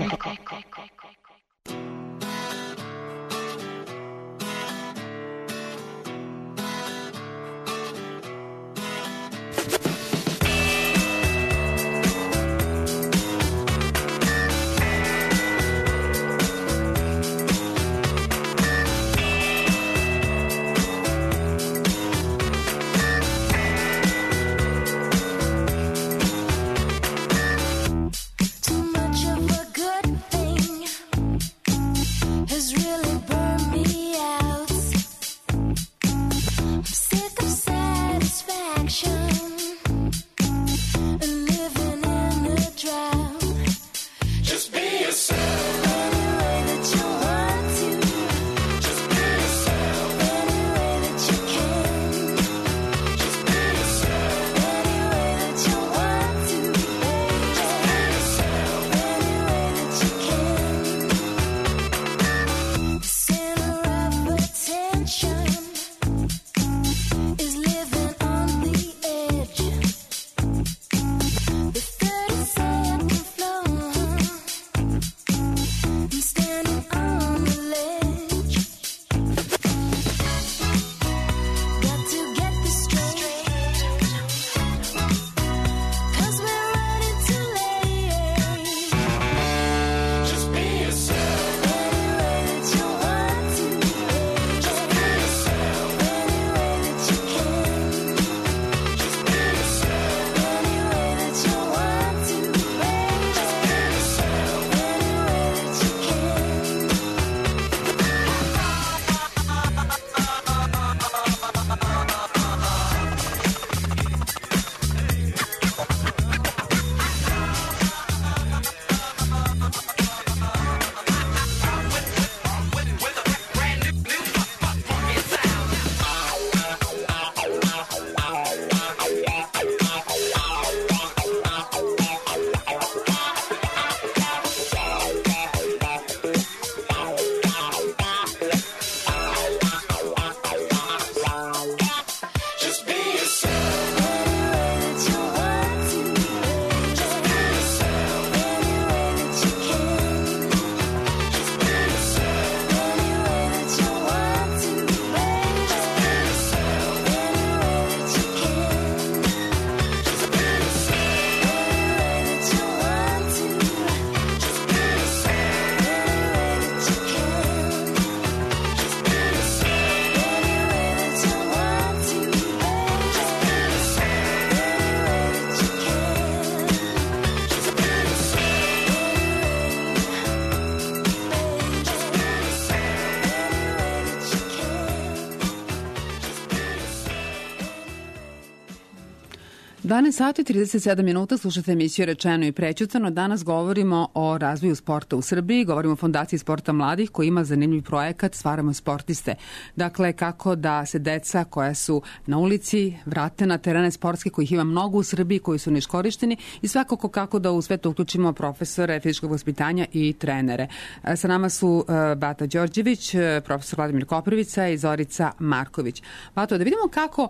Danas sati 37 minuta, slušate emisiju Rečeno i prećutano. Danas govorimo o razvoju sporta u Srbiji, govorimo o Fondaciji sporta mladih koji ima zanimljiv projekat Stvaramo sportiste. Dakle, kako da se deca koja su na ulici vrate na terene sportske, kojih ima mnogo u Srbiji, koji su neiskorišteni i svakako kako da u sve to uključimo profesore fizičkog vaspitanja i trenere. Sa nama su Bata Đorđević, profesor Vladimir Koprivica i Zorica Marković. Bato, da vidimo kako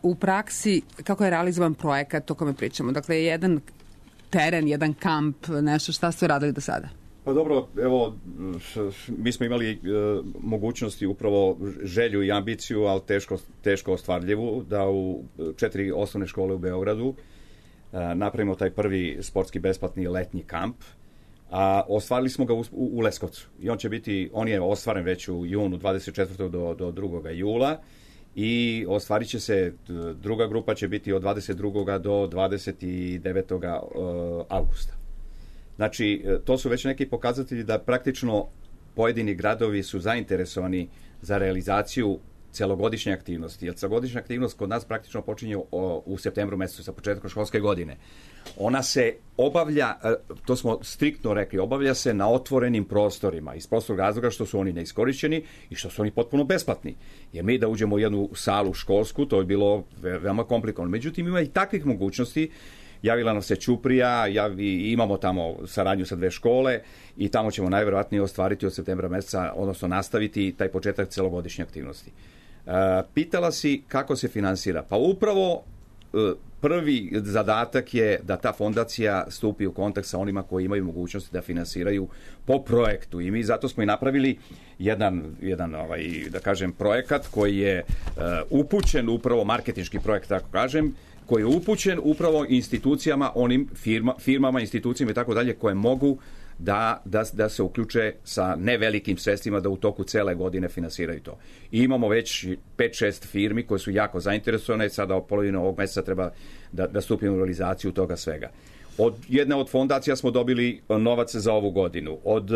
u praksi, kako je realizovan projekat o kome pričamo. Dakle, jedan teren, jedan kamp, nešto, šta ste radili do sada? Pa dobro, evo, mi smo imali mogućnosti, upravo želju i ambiciju, ali teško ostvarljivu, da u 4 osnovne škole u Beogradu napravimo taj prvi sportski besplatni letnji kamp. A ostvarili smo ga u Leskovcu. I on je ostvaren već u junu 24. do 2. jula. i ostvarit će se, druga grupa će biti od 22. do 29. Augusta. Znači, to su već neki pokazatelji da praktično pojedini gradovi su zainteresovani za realizaciju celogodišnje aktivnosti, jer celogodišnja aktivnost kod nas praktično počinje u septembru mesecu sa početkom školske godine. Ona se obavlja, to smo striktno rekli, obavlja se na otvorenim prostorima iz prostog razloga što su oni neiskorišćeni i što su oni potpuno besplatni. Jer mi da uđemo u jednu salu školsku, to je bilo veoma komplikovano. Međutim, ima i takvih mogućnosti. Javila nam se Ćuprija, imamo tamo saradnju sa 2 škole i tamo ćemo najverovatnije ostvariti od septembra meseca, odnosno nastaviti taj početak celogodišnje aktivnosti. Pitala si kako se finansira. Pa upravo prvi zadatak je da ta fondacija stupi u kontakt sa onima koji imaju mogućnosti da finansiraju po projektu. I mi zato smo i napravili jedan da kažem, projekat koji je upućen, upravo marketinški projekt, tako kažem, koji je upućen upravo institucijama, onim firmama, institucijama i tako dalje, koje mogu da se uključe sa nevelikim sredstvima da u toku cele godine finansiraju to. I imamo već 5-6 firmi koje su jako zainteresovane, sada od polovine ovog meseca treba da stupimo u realizaciju toga svega. Od jedne od fondacija smo dobili novac za ovu godinu. Od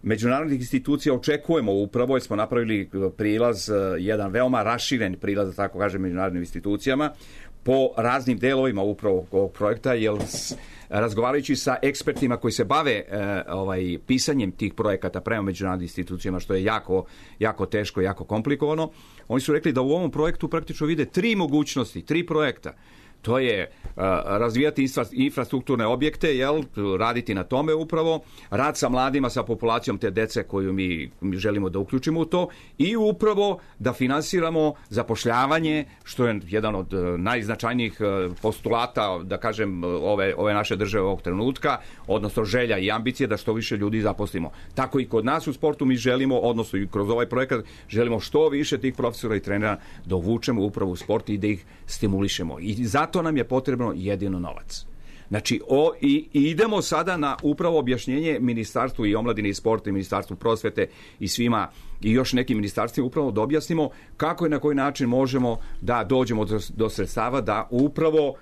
međunarodnih institucija očekujemo upravo, jer smo napravili prilaz, jedan veoma raširen prilaz, da tako kažem, međunarodnim institucijama, po raznim delovima upravo ovog projekta, jer razgovarajući sa ekspertima koji se bave pisanjem tih projekata prema međunarodnim institucijama, što je jako teško, jako komplikovano, oni su rekli da u ovom projektu praktično vide 3 mogućnosti, 3 projekta. To je razvijati infrastrukturne objekte, raditi na tome upravo, rad sa mladima, sa populacijom te dece koju mi želimo da uključimo u to i upravo da finansiramo zapošljavanje, što je jedan od najznačajnijih postulata, da kažem, ove naše države ovog trenutka, odnosno želja i ambicije da što više ljudi zaposlimo. Tako i kod nas u sportu mi želimo, odnosno i kroz ovaj projekat, želimo što više tih profesora i trenera da uvučemo upravo u sport i da ih stimulišemo. I zato nam je potrebno jedino novac. Znači, i idemo sada na upravo objašnjenje Ministarstvu i omladine i sporta i Ministarstvu prosvete i svima i još nekim ministarstvima upravo da objasnimo kako i na koji način možemo da dođemo do sredstava da upravo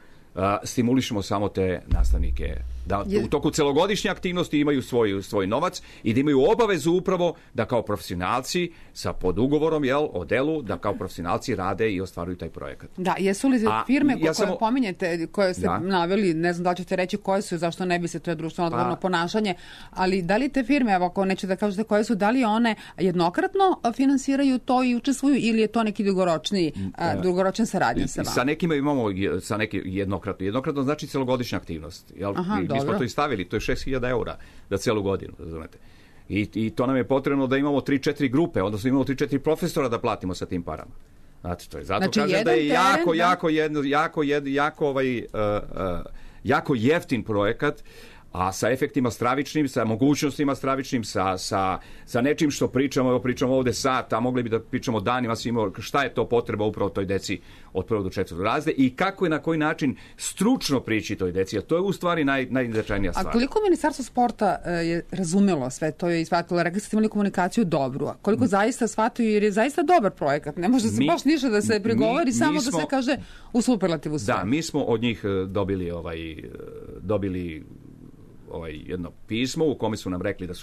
stimulišemo samo te nastavnike. Da u toku celogodišnje aktivnosti imaju svoj novac i da imaju obavezu upravo da kao profesionalci sa podugovorom o delu, da kao profesionalci rade i ostvaruju taj projekat. Da, jesu li firme koje pominjete, koje ste naveli, ne znam da li ćete reći koje su, zašto ne bi se, to je društveno odgovorno ponašanje, ali da li te firme, evo ako neće da kažete koje su, da li one jednokratno finansiraju to i učestvuju ili je to neki dugoročan saradnja sa vama? Sa nekima imamo jednokratno znači celogodišnja aktivnost. Mi smo to i stavili, to je 6.000 eura za celu godinu, razumete. I to nam je potrebno da imamo 3-4 grupe, odnosno imamo 3-4 profesora da platimo sa tim parama. Znači, to je zato kažem da je jako jeftin projekat, a sa efektima stravičnim, sa mogućnostima stravičnim, sa nečim što pričamo ovde sat, a mogli bi da pričamo danima svima šta je to potreba upravo toj deci od 1. do 4. razreda i kako i na koji način stručno prići toj deci, a to je u stvari najznačajnija stvar. A koliko Ministarstvo sporta je razumelo sve to i shvatilo, rekli ste imali komunikaciju dobru, a koliko zaista shvataju, jer je zaista dobar projekat, ne može se baš ništa da se prigovori, samo da se kaže u superlativu sve. Da, mi smo od njih dobili jedno pismo u kome su nam rekli da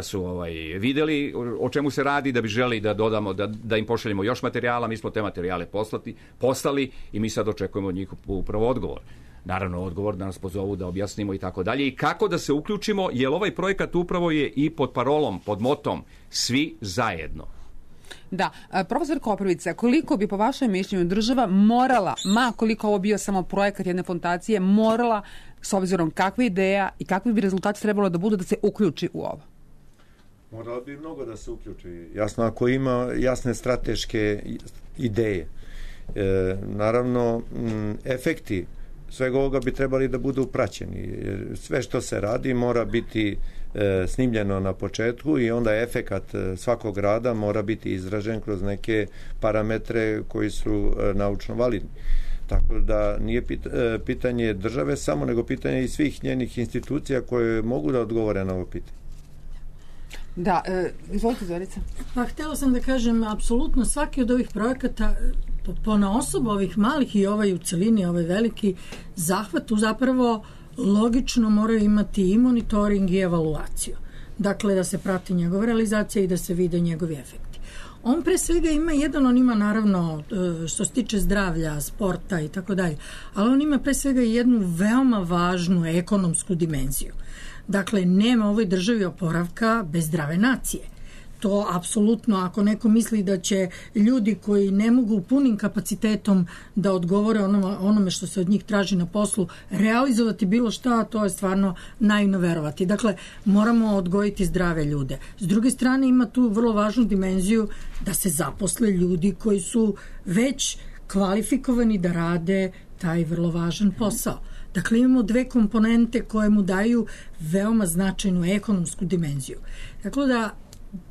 su videli o čemu se radi, da bi želi da dodamo, da im pošaljemo još materijala. Mi smo te materijale poslali i mi sad očekujemo od njih upravo odgovor. Naravno, odgovor da nas pozovu da objasnimo i tako dalje i kako da se uključimo, jer ovaj projekat upravo je i pod parolom, pod motom svi zajedno. Da, profesor Koprivica, koliko bi po vašem mišljenju država morala, koliko ovo bio samo projekat jedne fondacije, morala, s obzirom kakva ideja i kakvi bi rezultati trebalo da budu da se uključi u ovo? Moralo bi mnogo da se uključi. Jasno, ako ima jasne strateške ideje. Naravno, efekti svega ovoga bi trebali da budu praćeni. Sve što se radi mora biti snimljeno na početku i onda efekat svakog rada mora biti izražen kroz neke parametre koji su naučno validni. Tako da nije pitanje države samo, nego pitanje i svih njenih institucija koje mogu da odgovore na ovo pitanje. Da, izvolite Zorica. Pa htjela sam da kažem, apsolutno svaki od ovih projekata ponaosob ovih malih i ovaj u celini, ovaj veliki zahvat zapravo logično moraju imati i monitoring i evaluaciju. Dakle, da se prati njegova realizacija i da se vide njegovi efekti. On pre svega on ima naravno što se tiče zdravlja, sporta i tako dalje, ali on ima pre svega jednu veoma važnu ekonomsku dimenziju. Dakle, nema u ovoj državi oporavka bez zdrave nacije. To apsolutno, ako neko misli da će ljudi koji ne mogu punim kapacitetom da odgovore onome što se od njih traži na poslu, realizovati bilo šta, to je stvarno naivno verovati. Dakle, moramo odgojiti zdrave ljude. S druge strane, ima tu vrlo važnu dimenziju da se zaposle ljudi koji su već kvalifikovani da rade taj vrlo važan posao. Dakle, imamo dve komponente koje mu daju veoma značajnu ekonomsku dimenziju. Dakle, da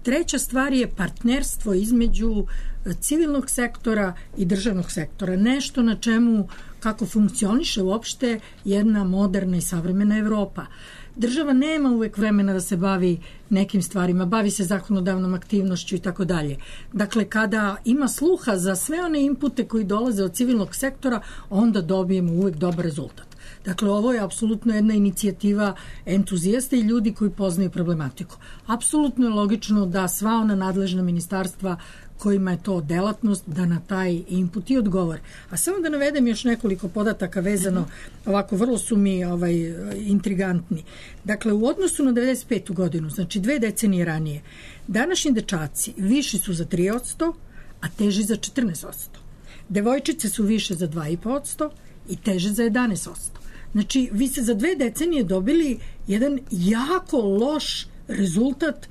treća stvar je partnerstvo između civilnog sektora i državnog sektora. Nešto na čemu, kako funkcioniše uopšte jedna moderna i savremena Evropa. Država nema uvek vremena da se bavi nekim stvarima, bavi se zakonodavnom aktivnošću i tako dalje. Dakle, kada ima sluha za sve one inpute koji dolaze od civilnog sektora, onda dobijemo uvek dobar rezultat. Dakle, ovo je apsolutno jedna inicijativa entuzijasta i ljudi koji poznaju problematiku. Apsolutno je logično da sva ona nadležna ministarstva kojima je to delatnost, da na taj input i odgovor. A samo da navedem još nekoliko podataka vezano, ovako vrlo su mi intrigantni. Dakle, u odnosu na 95. godinu, znači 2 decenije ranije, današnji dečaci viši su za 3%, a teži za 14%. Devojčice su više za 2,5% i teže za 11%. Znači, vi ste za 2 decenije dobili jedan jako loš rezultat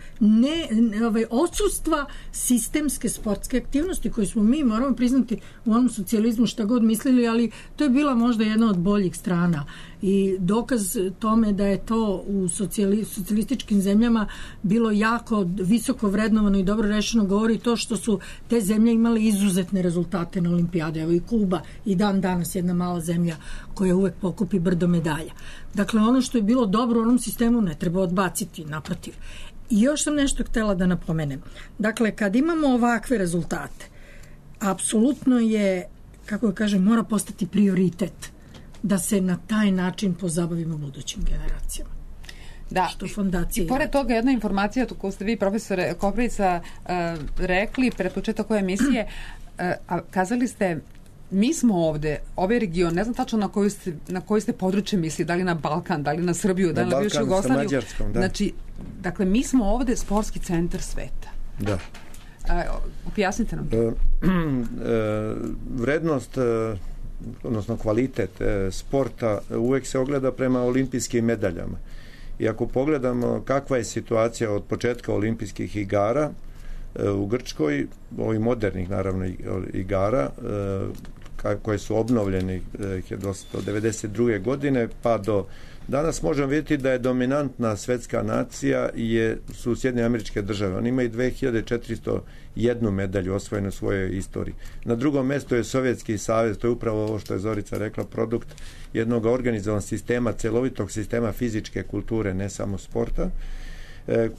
odsustva sistemske sportske aktivnosti koju smo mi, moramo priznati, u onom socijalizmu šta god mislili, ali to je bila možda jedna od boljih strana i dokaz tome da je to u socijalističkim zemljama bilo jako visoko vrednovano i dobro rešeno govori to što su te zemlje imale izuzetne rezultate na olimpijade. Evo i Kuba i dan danas jedna mala zemlja koja uvek pokupi brdo medalja. Dakle, ono što je bilo dobro u onom sistemu ne treba odbaciti, naprotiv. I još sam nešto htela da napomenem. Dakle, kad imamo ovakve rezultate, apsolutno je, kako da kažem, mora postati prioritet da se na taj način pozabavimo budućim generacijama. Da, i pored toga jedna informacija koju ste vi, profesore Koprivica, rekli pred početak ove emisije, kazali ste mi smo ovde, ovaj region, ne znam tačno na koji ste područje misli, da li na Balkan, da li na Srbiju, da li na bivšu Jugoslaviju. Sa Mađarskom, da. Znači, dakle, mi smo ovde sportski centar sveta. Da. Objasnite nam. Vrednost, odnosno kvalitet sporta uvek se ogleda prema olimpijskim medaljama. I ako pogledamo kakva je situacija od početka olimpijskih igara u Grčkoj, ovih modernih naravno igara, koje su obnovljeni 1992. godine pa do danas, možemo vidjeti da je dominantna svetska nacija su Sjedinjene Američke Države. Oni imaju 2401 medalju osvojenu u svojoj istoriji. Na drugom mjestu je Sovjetski savez, to je upravo ovo što je Zorica rekla, produkt jednog organizovanog sistema, celovitog sistema fizičke kulture, ne samo sporta.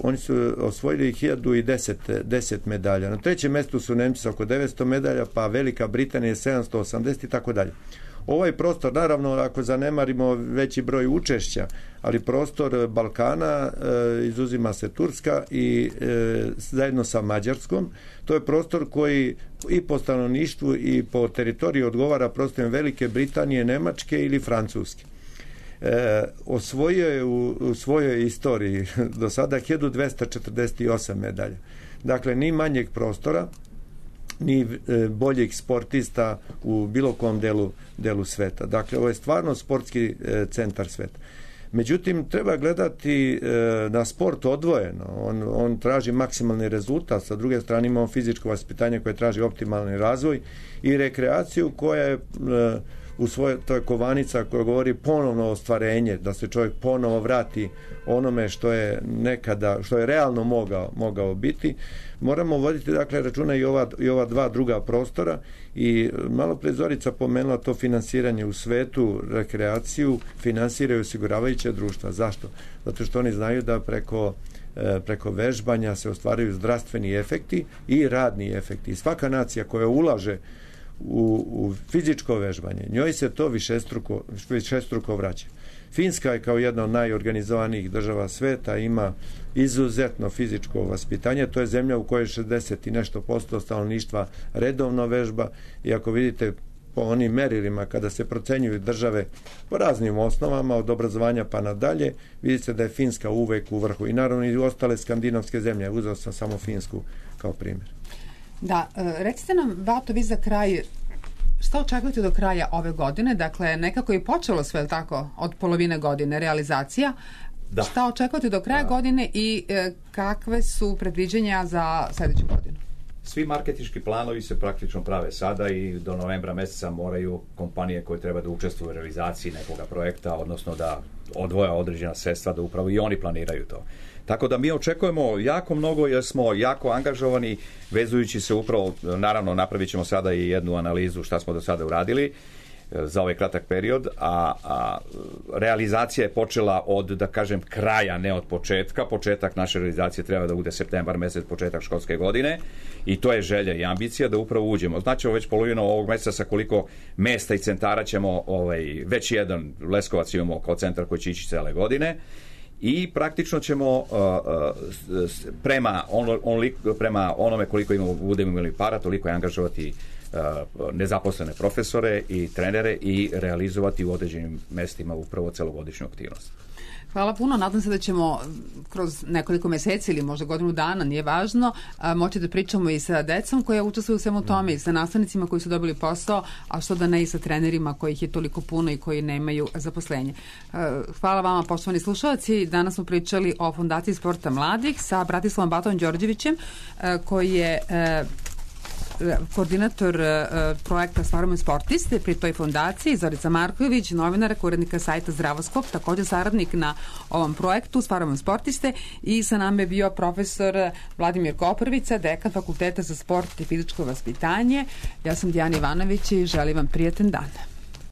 Oni su osvojili 1010 medalja. Na trećem mjestu su Nemci sa oko 900 medalja, pa Velika Britanija 780 i tako dalje. Ovaj prostor, naravno, ako zanemarimo veći broj učešća, ali prostor Balkana, izuzima se Turska i zajedno sa Mađarskom, to je prostor koji i po stanovništvu i po teritoriji odgovara prostorima Velike Britanije, Nemačke ili Francuske. Osvojio je u svojoj istoriji do sada 1248 medalja. Dakle, ni manjeg prostora, ni boljih sportista u bilo kom delu sveta. Dakle, ovo je stvarno sportski centar sveta. Međutim, treba gledati na sport odvojeno. On traži maksimalni rezultat, sa druge strane imamo fizičko vaspitanje koje traži optimalni razvoj i rekreaciju koja je to je kovanica koja govori ponovno ostvarenje, da se čovjek ponovo vrati onome što je nekada, što je realno mogao biti. Moramo voditi dakle računa i ova dva druga prostora i malo pre Zorica pomenula to finansiranje u svetu, rekreaciju finansiraju osiguravajuća društva. Zašto? Zato što oni znaju da preko preko vežbanja se ostvaruju zdravstveni efekti i radni efekti. I svaka nacija koja ulaže u fizičko vežbanje, njoj se to višestruko vraća. Finska je kao jedna od najorganizovanijih država sveta, ima izuzetno fizičko vaspitanje. To je zemlja u kojoj 60 i nešto posto stanovništva redovno vežba i ako vidite po onim merilima kada se procenjuju države po raznim osnovama od obrazovanja pa nadalje, vidite da je Finska uvek u vrhu i naravno i ostale skandinavske zemlje. Uzeo sam samo Finsku kao primjer. Da, recite nam, Bato, vi za kraj, šta očekujete do kraja ove godine? Dakle, nekako je počelo sve tako od polovine godine realizacija. Da. Šta očekujete do kraja godine i kakve su predviđenja za sljedeću godinu? Svi marketinški planovi se praktično prave sada i do novembra meseca moraju kompanije koje treba da učestvuju u realizaciji nekoga projekta, odnosno da odvoja određena sredstva, da upravo i oni planiraju to. Tako da mi očekujemo jako mnogo jer smo jako angažovani vezujući se upravo, naravno napravit ćemo sada i jednu analizu šta smo do sada uradili za ovaj kratak period, a realizacija je počela od, da kažem, kraja, ne od početka. Početak naše realizacije treba da bude septembar mesec, početak školske godine i to je želja i ambicija da upravo uđemo. Znači već polovinu ovog meseca sa koliko mesta i centara ćemo, već jedan Leskovac imamo kao centar koji će ići cele godine i praktično ćemo prema onome koliko budemo imali para, toliko je angažovati nezaposlene profesore i trenere i realizovati u određenim mestima upravo celogodišnju aktivnost. Hvala puno, nadam se da ćemo kroz nekoliko meseci ili možda godinu dana, nije važno, moći da pričamo i sa decom koja učestvuju u svemu tome i sa nastavnicima koji su dobili posao, a što da ne i sa trenerima kojih je toliko puno i koji nemaju zaposlenje. Hvala vama, poštovani slušalci. Danas smo pričali o Fondaciji sporta mladih sa Bratislavom Batovom Đorđevićem, koji je koordinator projekta Stvaramo sportiste pri toj fondaciji, Zorica Marković, novinara, urednika sajta Zdravoskop, također saradnik na ovom projektu Stvaramo sportiste, i sa nama je bio profesor Vladimir Koprvica, dekan Fakulteta za sport i fizičko vaspitanje. Ja sam Dijana Ivanović i želim vam prijatan dan.